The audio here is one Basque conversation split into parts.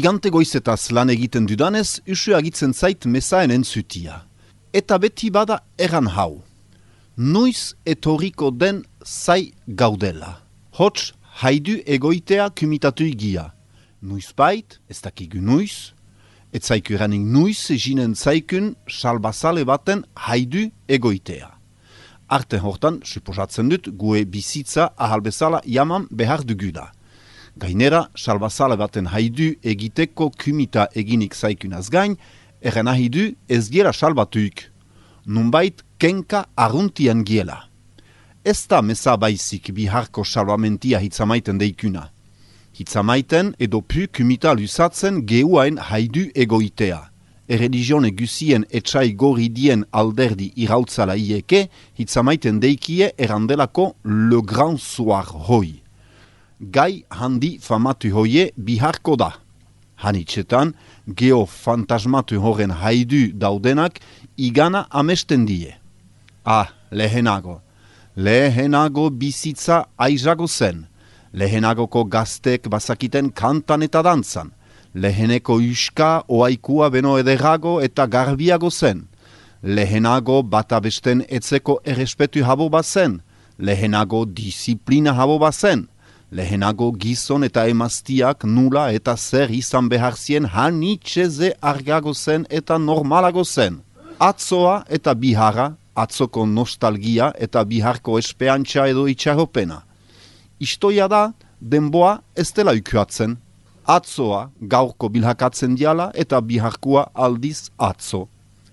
Igante goizetaz lan egiten dudanez, usu agitzen zait mezaen entzutia. Eta beti bada eran hau. Noiz etoriko den zai gaudela. Hots, haidu egoitea kumitatu igia. Noiz bait, ez dakigu noiz, ez zaiku eranik noiz jinen zaikun salbazale baten haidu egoitea. Arte hortan, suposatzen dut, gue bizitza ahalbezala jaman behar dugula. Gainera, salbazale baten haidu egiteko kumita eginik zaikunaz gain, eren ahidu ez giela salbatuik. Nunbait kenka arruntian giela. Ez da meza baizik biharko salvamentia hitzamaiten deikuna. Hitzamaiten edo pu kumita lusatzen geuain haidu egoitea. Erreligione gusien etxai goridien alderdi irautzala ieke, hitzamaiten deikie erandelako le grand soir hoi. Gai handi famatu hoie biharko da. Hanitzetan, geo fantasmatu horren haidu daudenak igana amesten die. Lehenago. Lehenago bizitza aizago zen. Lehenagoko gaztek bazakiten kantan eta dantzan. Leheneko uska oaikua beno ederago eta garbiago zen. Lehenago bata besten etzeko errespetu habo bazen. Lehenago disiplina habo bazen. Lehenago gizon eta emaztiak nula eta zer izan behar zien hanitxeze argago zen eta normalago zen. Atzoa eta biharra, atzoko nostalgia eta biharko espeantza edo itxaropena. Istoia da, denboa ez dela ukuatzen. Atzoa gaurko bilhakatzen diala eta biharkua aldiz atzo.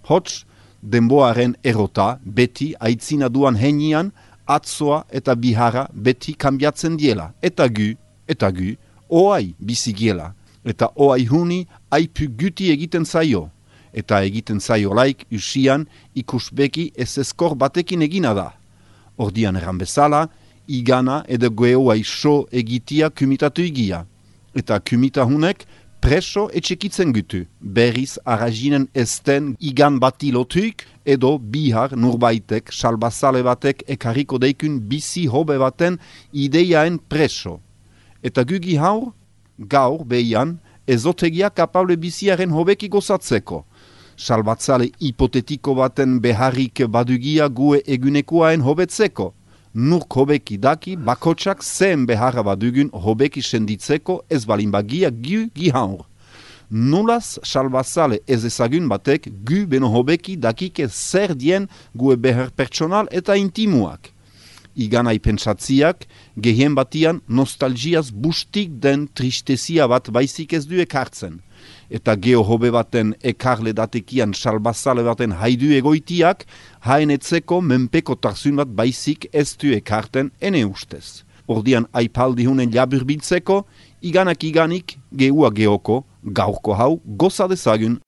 Hots, denboaren erota beti aitzina duan henian, atzoa eta biharra beti kanbiatzen diela. Eta gu, oai bizigiela. Eta oai huni aipu guti egiten zaio. Eta egiten zaio laik usian ikusbeki ez eskor batekin egina da. Ordian eran bezala, igana edo goeoai so egitia kumitatu igia. Eta kumita hunek preso etxekitzen gutu. Berriz arrazinen esten igan bati lotuik edo bihar nurbaitek, salbazale batek ekarriko deikun bizi hobe baten ideiaen preso. Eta gugi haur, gaur behian, ezotegia kapable biziaren hobeki gozatzeko. Salbatzale hipotetiko baten beharrik badugia gue egunekoaen hobetzeko. Nurk hobeki daki bakotsak zehen beharra badugun hobeki senditzeko ez balin bagia gu haur. Nulaz salbazale ez ezagun batek gu beno hobeki dakike zer dien gue behar pertsonal eta intimuak. Iganai pentsatziak gehien batian nostalgiaz bustik den tristezia bat baizik ez du ekartzen. Eta geho hobe baten ekarle datekian salbazale baten haidu egoitiak, haenetzeko menpeko tarzun bat baizik ez du ekarten ene ustez. Ordian aipaldi hunen laburbiltzeko, iganik gehua gehoko, gaurko hau goza dezagun.